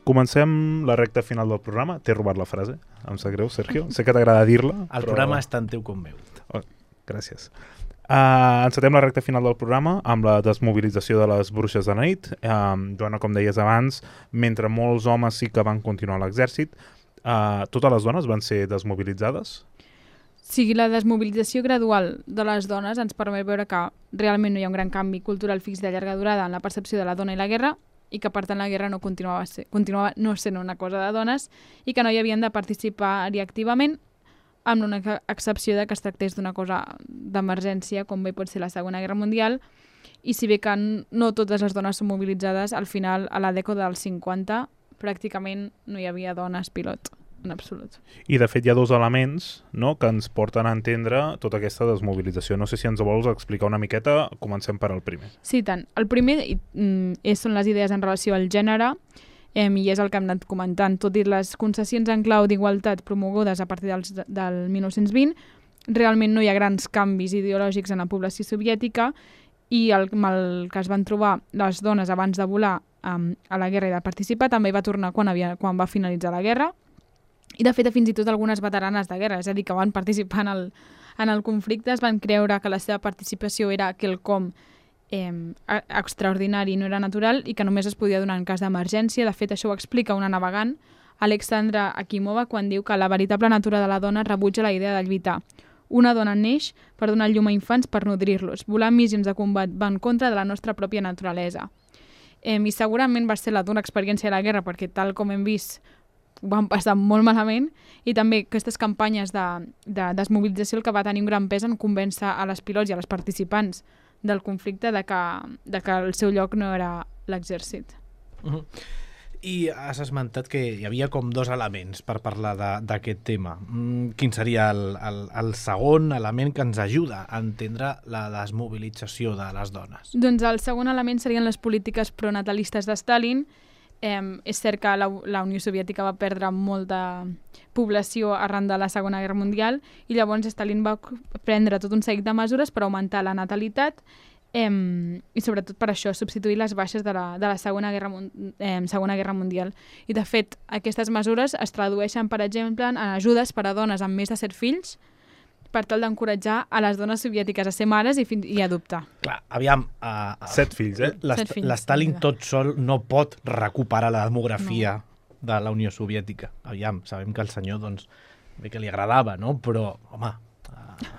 Comencem la recta final del programa. T'he robat la frase, em sap greu, Sergio. Sé que t'agrada dir-la. El però... programa és tant teu com meu. Oh, gràcies. Uh, encetem la recta final del programa amb la desmobilització de les bruixes de nit. Uh, Joana, com deies abans, mentre molts homes sí que van continuar a l'exèrcit, uh, totes les dones van ser desmobilitzades? Sí, la desmobilització gradual de les dones ens permet veure que realment no hi ha un gran canvi cultural fix de llarga durada en la percepció de la dona i la guerra, i que per tant la guerra no continuava, ser, continuava no sent una cosa de dones i que no hi havien de participar-hi activament, amb una excepció de que es tractés d'una cosa d'emergència, com bé pot ser la Segona Guerra Mundial, i si bé que no totes les dones són mobilitzades, al final, a la dècada dels cinquanta, pràcticament no hi havia dones pilot en absolut. I de fet hi ha dos elements, no?, que ens porten a entendre tota aquesta desmobilització. No sé si ens ho vols explicar una miqueta, comencem per al primer. Sí, tant. El primer és, són les idees en relació al gènere, eh, i és el que hem anat comentant. Tot i les concessions en clau d'igualtat promogudes a partir dels, del mil nou-cents vint, realment no hi ha grans canvis ideològics en la població soviètica, i el, el que es van trobar les dones abans de volar um, a la guerra i de participar també va tornar quan, havia, quan va finalitzar la guerra, i de fet fins i tot algunes veteranes de guerra, és a dir, que van participar en el, en el conflicte, es van creure que la seva participació era quelcom eh, extraordinari, no era natural, i que només es podia donar en cas d'emergència. De fet, això ho explica una navegant, Alexandra Akimova, quan diu que la veritable natura de la dona rebutja la idea de lluitar. Una dona neix per donar llum a infants per nodrir-los. Volar en missions de combat va en contra de la nostra pròpia naturalesa. Eh, I segurament va ser la dura experiència de la guerra, perquè tal com hem vist ho van passar molt malament, i també aquestes campanyes de, de desmobilització el que va tenir un gran pes en convèncer a les pilots i a les participants del conflicte de que, de que el seu lloc no era l'exèrcit. Uh-huh. I has esmentat que hi havia com dos elements per parlar d'aquest tema. Mm, quin seria el, el, el segon element que ens ajuda a entendre la desmobilització de les dones? Doncs el segon element serien les polítiques pronatalistes de Stalin. Eh, és cert que la, la Unió Soviètica va perdre molta població arran de la Segona Guerra Mundial, i llavors Stalin va prendre tot un seguit de mesures per augmentar la natalitat, Eh, i sobretot per això, substituir les baixes de la, de la Segona Guerra, eh, Segona Guerra Mundial. I de fet, aquestes mesures es tradueixen, per exemple, en ajudes per a dones amb més de set fills, per tal d'encoratjar a les dones soviètiques a ser mares i, i adoptar. Clar, aviam... Uh, Set fills, eh? L'Stalin tot sol no pot recuperar la demografia no. de la Unió Soviètica. Aviam, sabem que el senyor, doncs, bé que li agradava, no? Però, home... Uh...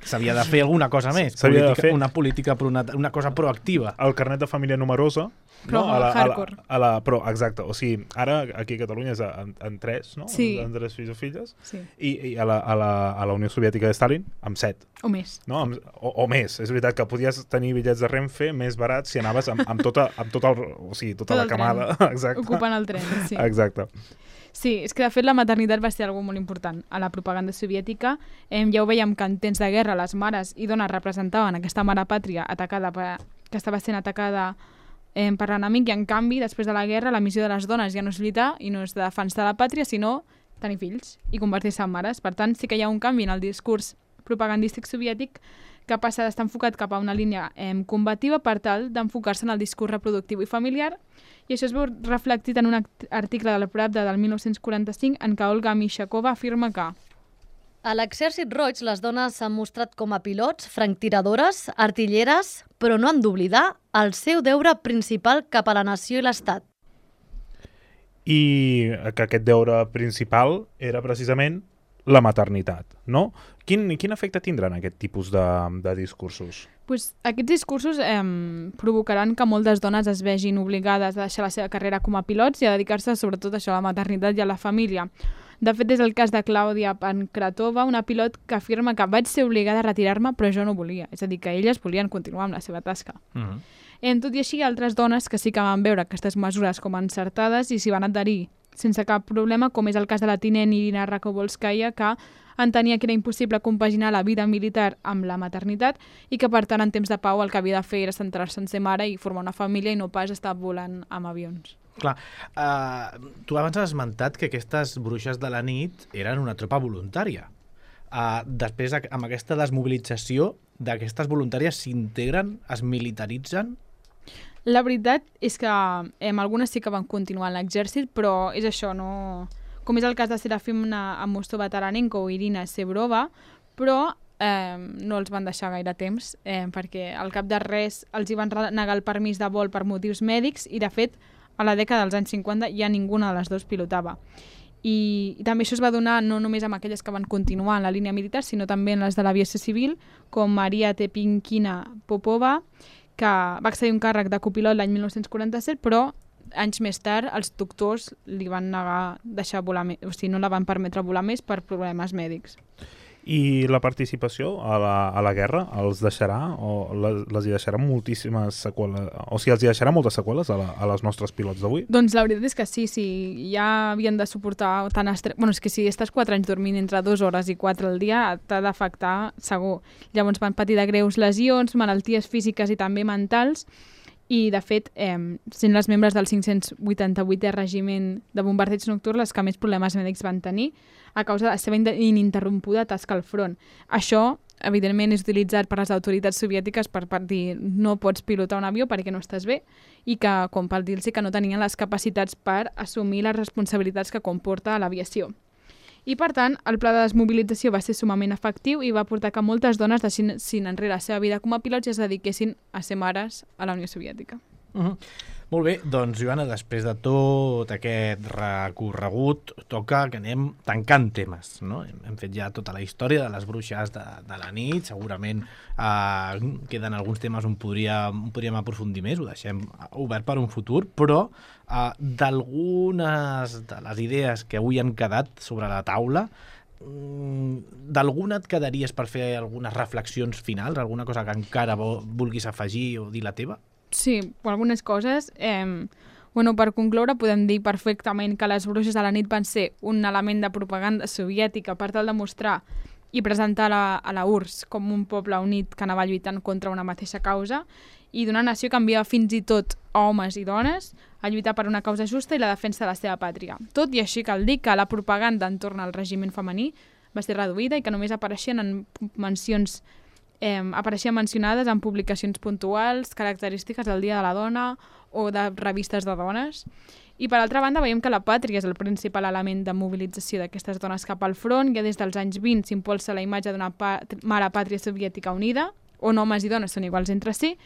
s'havia de fer alguna cosa més, política, fer... una política, una, una cosa proactiva. El carnet de família numerosa, però no? a la, hardcore. A la, a la, però, exacte, o sigui, ara aquí a Catalunya és en, en tres, no? Sí. En, en tres fills o filles, sí. I, i a, la, a, la, a la Unió Soviètica de Stalin, amb set. O més. No? Amb, o, o més. És veritat que podies tenir bitllets de Renfe més barats si anaves amb, amb, tota, amb tot el, o sigui, tota tot la camada. Exacte. Ocupant el tren, sí. Exacte. Sí, és que de fet la maternitat va ser algo molt important a la propaganda soviètica. Eh, ja ho veiem que en temps de guerra les mares i dones representaven aquesta mare pàtria atacada per, que estava sent atacada eh, per l'enemic, i en canvi, després de la guerra, la missió de les dones ja no és lluitar i no és defensar la pàtria, sinó tenir fills i convertir-se en mares. Per tant, sí que hi ha un canvi en el discurs propagandístic soviètic que passa d'estar enfocat cap a una línia eh, combativa per tal d'enfocar-se en el discurs reproductiu i familiar. I això es veu reflectit en un article de la Pravda del mil nou-cents quaranta-cinc en què Olga Mishakova afirma que a l'Exèrcit Roig les dones s'han mostrat com a pilots, franctiradores, artilleres, però no han d'oblidar el seu deure principal cap a la nació i l'Estat. I que aquest deure principal era precisament la maternitat, no? Quin, quin efecte tindran aquest tipus de, de discursos? Pues, aquests discursos eh, provocaran que moltes dones es vegin obligades a deixar la seva carrera com a pilots i a dedicar-se sobretot a això, a la maternitat i a la família. De fet, és el cas de Clàudia Pankratova, una pilot que afirma que vaig ser obligada a retirar-me però jo no volia. És a dir, que elles volien continuar amb la seva tasca. Uh-huh. En tot i així, hi ha altres dones que sí que van veure aquestes mesures com encertades i s'hi van adherir sense cap problema, com és el cas de la tinent Irina Rakobolskaya, que entenia que era impossible compaginar la vida militar amb la maternitat i que, per tant, en temps de pau el que havia de fer era centrar-se en ser mare i formar una família i no pas estar volant amb avions. Clar, uh, tu abans has esmentat que aquestes bruixes de la nit eren una tropa voluntària. Uh, després, amb aquesta desmobilització, d'aquestes voluntàries s'integren, es militaritzen? La veritat és que eh, algunes sí que van continuar en l'exèrcit, però és això, no... com és el cas de Serafimna Amostova-Taranenko o Irina Sebrova, però eh, no els van deixar gaire temps, eh, perquè al cap de res els hi van negar el permís de vol per motius mèdics i, de fet, a la dècada dels anys cinquanta ja ninguna de les dues pilotava. I, i també això es va donar no només amb aquelles que van continuar en la línia militar, sinó també en les de l'aviació civil, com Maria Tepinkina Popova, que va accedir un càrrec de copilot l'any mil nou-cents quaranta-set, però anys més tard els doctors li van negar deixar volar més, o sigui, no la van permetre volar més per problemes mèdics. I la participació a la, a la guerra els deixarà o les, les hi deixarà moltíssimes seqüeles, o sigui, els hi deixarà moltes seqüeles a, la, a les nostres pilots d'avui? Doncs la veritat és que sí, sí, ja havien de suportar tant estrès... Bueno, és que si estàs quatre anys dormint entre dues hores i quatre al dia, t'ha d'afectar segur. Llavors van patir de greus lesions, malalties físiques i també mentals, i de fet, eh, sent les membres del cinc-cents vuitanta-vuitè Regiment de Bombardeig Nocturn les que més problemes mèdics van tenir a causa de la seva ininterrompuda tasca al front. Això, evidentment, és utilitzat per les autoritats soviètiques per, per dir no pots pilotar un avió perquè no estàs bé i que, com per dir-los que no tenien les capacitats per assumir les responsabilitats que comporta l'aviació. I, per tant, el pla de desmobilització va ser sumament efectiu i va portar que moltes dones deixessin enrere la seva vida com a pilots i es dediquessin a ser mares a la Unió Soviètica. Uh -huh. Molt bé, doncs, Joana, després de tot aquest recorregut, toca que anem tancant temes, no? Hem, hem fet ja tota la història de les bruixes de, de la nit, segurament eh, queden alguns temes on podríem, podríem aprofundir més, ho deixem obert per un futur, però eh, d'algunes de les idees que avui han quedat sobre la taula, d'alguna et quedaries per fer algunes reflexions finals, alguna cosa que encara vulguis afegir o dir la teva? Sí, algunes coses. Eh, bueno, per concloure, podem dir perfectament que les bruixes de la nit van ser un element de propaganda soviètica per tal de mostrar i presentar la, a la U R S S com un poble unit que anava lluitant contra una mateixa causa i d'una nació que enviava fins i tot homes i dones a lluitar per una causa justa i la defensa de la seva pàtria. Tot i així cal dir que la propaganda entorn al regiment femení va ser reduïda i que només apareixien en mencions Eh, apareixien mencionades en publicacions puntuals, característiques del Dia de la Dona o de revistes de dones. I per altra banda veiem que la pàtria és el principal element de mobilització d'aquestes dones cap al front. Ja des dels anys vint s'impulsa la imatge d'una mare pàtria soviètica unida, on homes i dones són iguals entre si,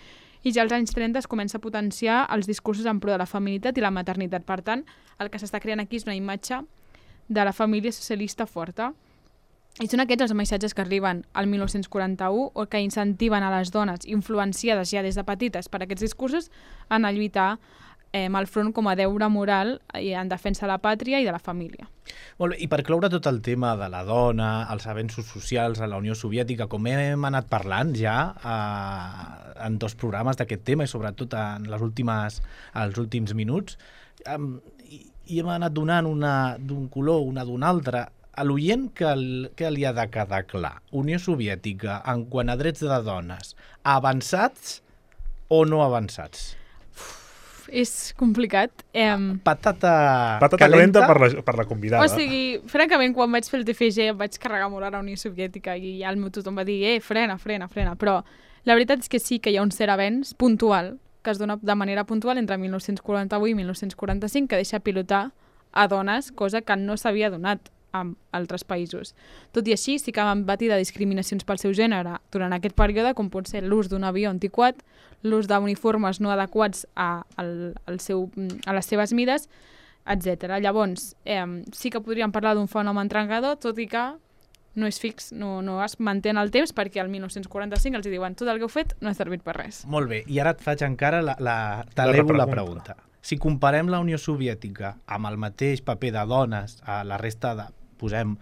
i ja als anys trenta es comença a potenciar els discursos en pro de la feminitat i la maternitat. Per tant, el que s'està creant aquí és una imatge de la família socialista forta. I són aquests els missatges que arriben al mil nou-cents quaranta-u o que incentiven a les dones influenciades ja des de petites per aquests discursos a anar a lluitar eh, al front com a deure moral en defensa de la pàtria i de la família. Molt bé, i per cloure tot el tema de la dona, els avenços socials a la Unió Soviètica, com hem anat parlant ja eh, en dos programes d'aquest tema i sobretot en les últimes, els últims minuts, eh, i, i hem anat donant una d'un color, una d'un altre. A l'oient que, el, que li ha de quedar clar? Unió Soviètica, en quant a drets de dones, avançats o no avançats? Uf, és complicat. Eh... Patata, Patata calenta, calenta per, la, per la convidada. O sigui, francament, quan vaig fer el T F G em vaig carregar molt a la Unió Soviètica i ja el meu tothom va dir, eh, frena, frena, frena. Però la veritat és que sí que hi ha un cert avenç puntual que es dona de manera puntual entre mil nou-cents quaranta-vuit i mil nou-cents quaranta-cinc que deixa pilotar a dones, cosa que no s'havia donat amb altres països. Tot i així, sí que van patir de discriminacions pel seu gènere durant aquest període, com pot ser l'ús d'un avió antiquat, l'ús d'uniformes no adequats a, al, al seu, a les seves mides, etcètera. Llavors, eh, sí que podríem parlar d'un fenomen trencador, tot i que no és fix, no, no es manté en el temps, perquè al mil nou-cents quaranta-cinc els diuen tot el que heu fet no ha servit per res. Molt bé, i ara et faig encara la, la, t'elevo la pregunta. Si comparem la Unió Soviètica amb el mateix paper de dones a la resta de posem,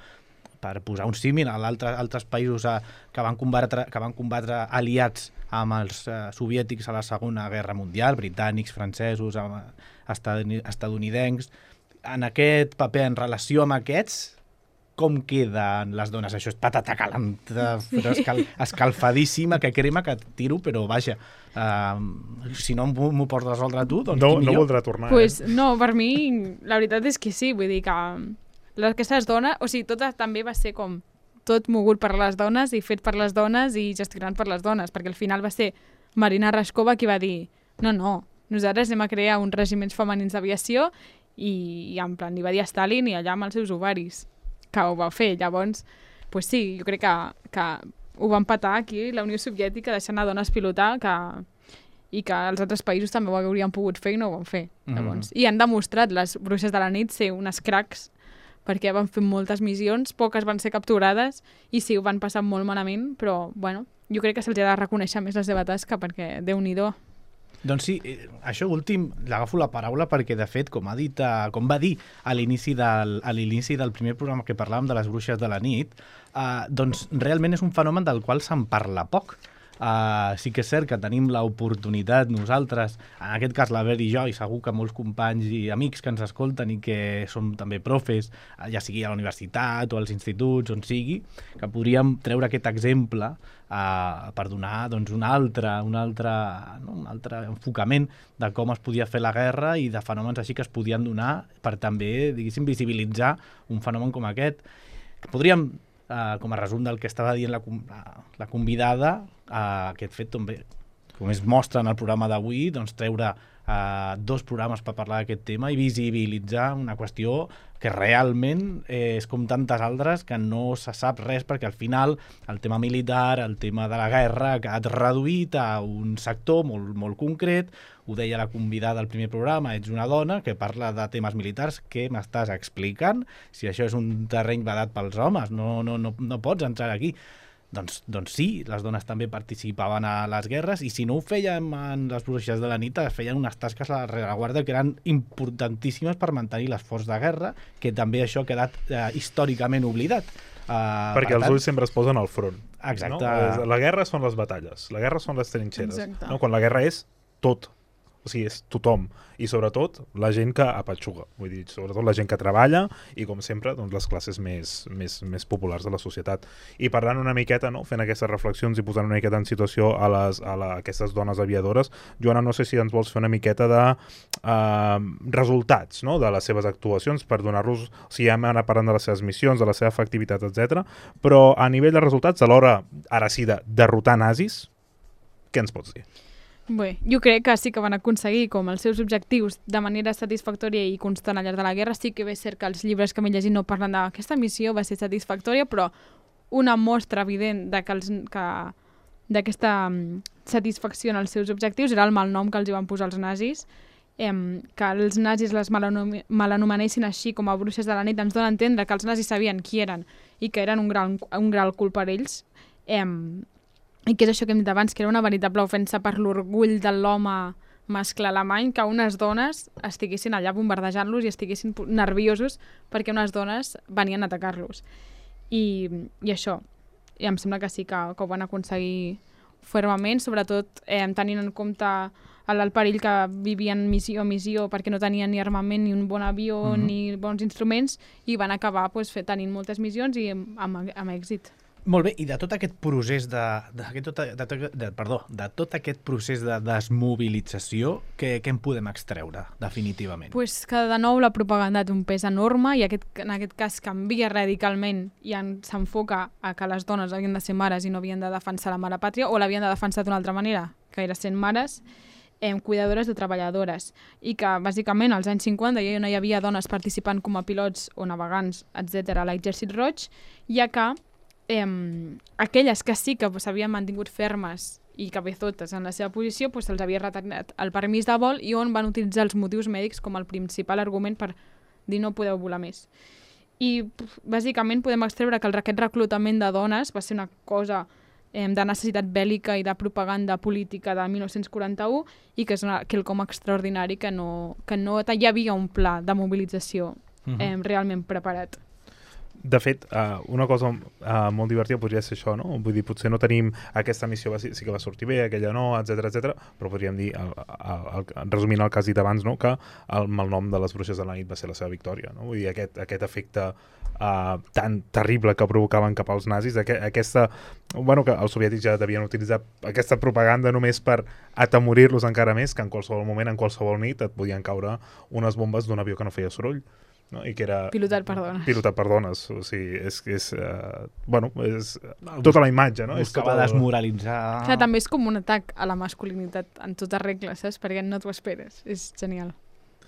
per posar un símil, a altres països a, que, van combatre, que van combatre aliats amb els uh, soviètics a la Segona Guerra Mundial, britànics, francesos, estadounidencs, en aquest paper, en relació amb aquests, com queden les dones? Això és patata calenta, però escal, escalfadíssima, que crema, que tiro, però vaja, uh, si no m'ho pots resoldre tu, doncs no, qui millor? No voldrà tornar. Pues, eh? No, per mi, la veritat és que sí, vull dir que aquestes dones, o sigui, tot també va ser com tot mogut per les dones i fet per les dones i gestionat per les dones, perquè al final va ser Marina Raskova qui va dir no, no, nosaltres anem a crear uns regiments femenins d'aviació i, i en plan, li va dir a Stalin i allà amb els seus ovaris, que ho va fer. Llavors, pues sí, jo crec que, que ho va empatar aquí la Unió Soviètica deixant a dones pilotar que, i que els altres països també ho haurien pogut fer i no ho van fer. Llavors, mm. I han demostrat les bruixes de la nit ser unes cracs perquè van fer moltes missions, poques van ser capturades i sí, ho van passar molt malament, però bueno, jo crec que se'ls ha de reconèixer més la seva tasca perquè Déu-n'hi-do. Doncs sí, eh, això últim l'agafo la paraula perquè, de fet, com ha dit, eh, com va dir a l'inici del, a l'inici del primer programa que parlàvem de les bruixes de la nit, eh, doncs realment és un fenomen del qual se'n parla poc. Uh, sí que és cert que tenim l'oportunitat nosaltres, en aquest cas la Ver i jo, i segur que molts companys i amics que ens escolten i que som també profes, ja sigui a la universitat o als instituts, on sigui, que podríem treure aquest exemple uh, per donar doncs, un, altre, un, altre, no? un altre enfocament de com es podia fer la guerra i de fenòmens així que es podien donar per també, diguéssim, visibilitzar un fenomen com aquest. Podríem, Uh, com a resum del que estava dient la, la, la convidada, uh, aquest fet també, com es mostra en el programa d'avui, doncs treure uh, dos programes per parlar d'aquest tema i visibilitzar una qüestió que realment eh, és com tantes altres que no se sap res, perquè al final el tema militar, el tema de la guerra ha quedat reduït a un sector molt, molt concret. Ho deia la convidada al primer programa, ets una dona que parla de temes militars. Què m'estàs explicant? Si això és un terreny vedat pels homes, no, no, no, no pots entrar aquí. Doncs, doncs sí, les dones també participaven a les guerres, i si no ho fèiem en les bruixes de la nit, feien unes tasques a la rereguarda que eren importantíssimes per mantenir l'esforç de guerra, que també això ha quedat eh, històricament oblidat. Uh, Perquè per els tant, ulls sempre es posen al front. Exacte. No? La guerra són les batalles, la guerra són les trinxeres. Exacte. No? Quan la guerra és tot. O sigui, és tothom. I sobretot la gent que apatxuga. Vull dir, sobretot la gent que treballa i, com sempre, doncs, les classes més, més, més populars de la societat. I parlant una miqueta, no? Fent aquestes reflexions i posant una miqueta en situació a, les, a, la, a aquestes dones aviadores, Joana, no sé si ens vols fer una miqueta de uh, resultats, no? De les seves actuacions, per donar-los, o sigui, hem anat parlant de les seves missions, de la seva efectivitat, etcètera. Però a nivell de resultats, a l'hora, ara sí, de derrotar nazis, què ens pots dir? Bé, jo crec que sí que van aconseguir com els seus objectius de manera satisfactòria i constant al llarg de la guerra. Sí que és cert que els llibres que m'he llegit no parlen d'aquesta missió va ser satisfactòria, però una mostra evident de que els, que, d'aquesta um, satisfacció en els seus objectius era el malnom que els hi van posar els nazis. Em, que els nazis les malanomenessin així com a bruixes de la nit ens dona a entendre que els nazis sabien qui eren i que eren un gran, un gran cul per ells. Em, I que és això que hem dit abans, que era una veritable ofensa per l'orgull de l'home mascle alemany, que unes dones estiguessin allà bombardejant-los i estiguessin nerviosos perquè unes dones venien a atacar-los. I, i això, i em sembla que sí que, que ho van aconseguir fermament, sobretot eh, tenint en compte el, el perill que vivien missió a missió perquè no tenien ni armament, ni un bon avió, mm-hmm. ni bons instruments, i van acabar pues, fet, tenint moltes missions i amb, amb, amb èxit. Molt bé, i de tot aquest procés de, de, de, de, de, perdó, de tot aquest procés de desmobilització, què, què en podem extreure, definitivament? Pues que de nou la propaganda té un pes enorme i aquest, en aquest cas canvia radicalment i s'enfoca a que les dones havien de ser mares i no havien de defensar la mare pàtria, o l'havien de defensar d'una altra manera, que era sent mares, eh, cuidadores o treballadores, i que bàsicament als anys cinquanta ja no hi havia dones participant com a pilots o navegants, etcètera a l'exèrcit roig, ja que Eh, aquelles que sí que s'havien mantingut fermes i cabezotes en la seva posició, pues, se'ls havia retallat el permís de vol i on van utilitzar els motius mèdics com el principal argument per dir no podeu volar més. I bàsicament podem extreure que el, aquest reclutament de dones va ser una cosa eh, de necessitat bèl·lica i de propaganda política de mil nou-cents quaranta-u i que és una, quelcom extraordinari que no, que no hi havia un pla de mobilització eh, uh-huh. realment preparat. De fet, uh, una cosa uh, molt divertida podria ser això, no? Vull dir, potser no tenim aquesta missió, va, sí que va sortir bé, aquella no, etcètera, etcètera, però podríem dir, el, el, el, resumint el que has dit abans, no? Que el malnom de les bruixes de la nit va ser la seva victòria, no? Vull dir, aquest, aquest efecte uh, tan terrible que provocaven cap als nazis, aqu aquesta, bueno, que els soviètics ja devien utilitzar aquesta propaganda només per atemorir-los encara més, que en qualsevol moment, en qualsevol nit, et podien caure unes bombes d'un avió que no feia soroll. No? I que era pilotat per dones. Pilotat per dones, o sigui, és, és, uh, bueno, és tota la imatge, no? Buscava tota... desmoralitzar... Clar, també és com un atac a la masculinitat en tota regla, saps? Perquè no t'ho esperes, és genial.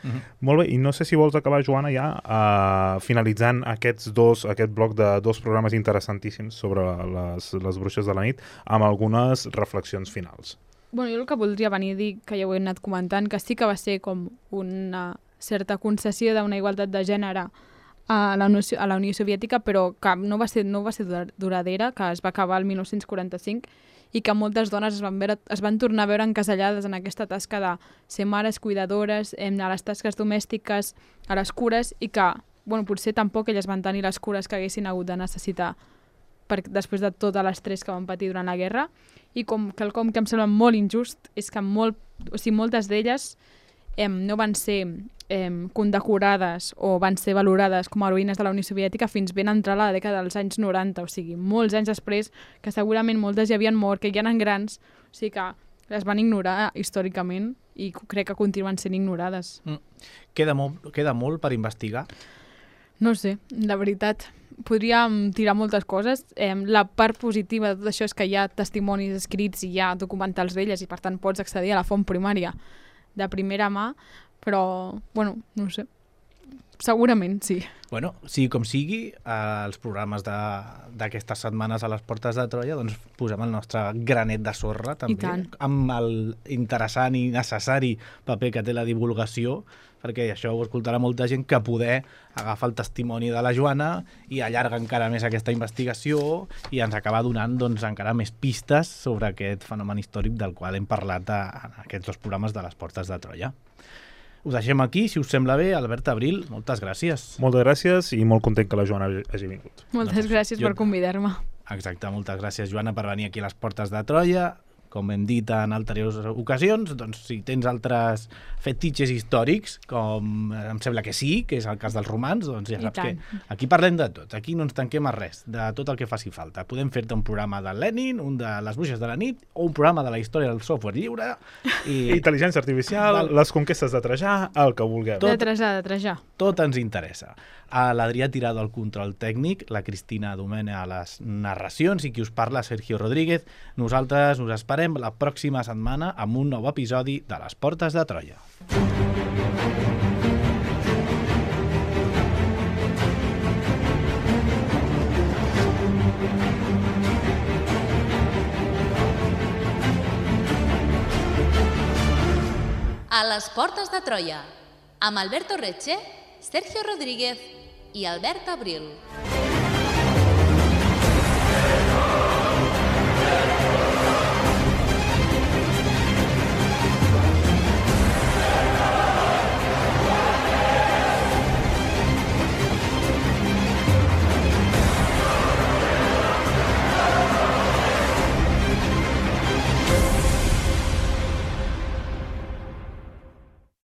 Uh-huh. Molt bé, i no sé si vols acabar, Joana, ja uh, finalitzant aquests dos, aquest bloc de dos programes interessantíssims sobre les, les bruixes de la nit, amb algunes reflexions finals. Bueno, jo el que voldria venir a dir, que ja ho he anat comentant, que sí que va ser com una certa concessió d'una igualtat de gènere a la, Unió, a la Unió Soviètica, però que no va ser, no va ser duradera, que es va acabar el mil nou-cents quaranta-cinc i que moltes dones es van, veure, es van tornar a veure encasellades en aquesta tasca de ser mares, cuidadores, a les tasques domèstiques, a les cures, i que bueno, potser tampoc elles van tenir les cures que haguessin hagut de necessitar per, després de tot l'estrès que van patir durant la guerra. I com quelcom que em sembla molt injust és que molt, o sigui, moltes d'elles eh, no van ser eh, condecorades o van ser valorades com a heroïnes de la Unió Soviètica fins ben entrar la dècada dels anys noranta, o sigui, molts anys després, que segurament moltes ja havien mort, que ja eren grans, o sigui que les van ignorar històricament i crec que continuen sent ignorades. Mm. Queda, molt, queda molt per investigar? No sé, la veritat, podríem tirar moltes coses. Eh, la part positiva de tot això és que hi ha testimonis escrits i hi ha documentals d'elles i per tant pots accedir a la font primària de primera mà, però, bueno, no ho sé. Segurament, sí. Bueno, sigui com sigui, als programes d'aquestes setmanes a les Portes de Troia, doncs posem el nostre granet de sorra, també, amb el interessant i necessari paper que té la divulgació, perquè això ho escoltarà molta gent, que poder agafar el testimoni de la Joana i allarga encara més aquesta investigació i ens acaba donant doncs, encara més pistes sobre aquest fenomen històric del qual hem parlat en aquests dos programes de les Portes de Troia. Ho deixem aquí, si us sembla bé. Albert Abril, moltes gràcies. Moltes gràcies i molt content que la Joana hagi vingut. Moltes doncs, gràcies jo... per convidar-me. Exacte, moltes gràcies, Joana, per venir aquí a les Portes de Troia. Com hem dit en anteriors ocasions, doncs si tens altres fetitxes històrics, com em sembla que sí, que és el cas dels romans, doncs ja saps que aquí parlem de tot, aquí no ens tanquem a res, de tot el que faci falta. Podem fer-te un programa de Lenin, un de les bruixes de la nit, o un programa de la història del software lliure. I... Intel·ligència artificial, Val. les conquestes de Trajà, el que vulgueu. Tot, de Trajà, de Trajà. Tot ens interessa. A l'Adrià Tirado al control tècnic, la Cristina Domene a les narracions i qui us parla, Sergio Rodríguez. Nosaltres us esperem la pròxima setmana amb un nou episodi de les Portes de Troia. A les Portes de Troia, amb Alberto Reche, Sergio Rodríguez i Albert Abril.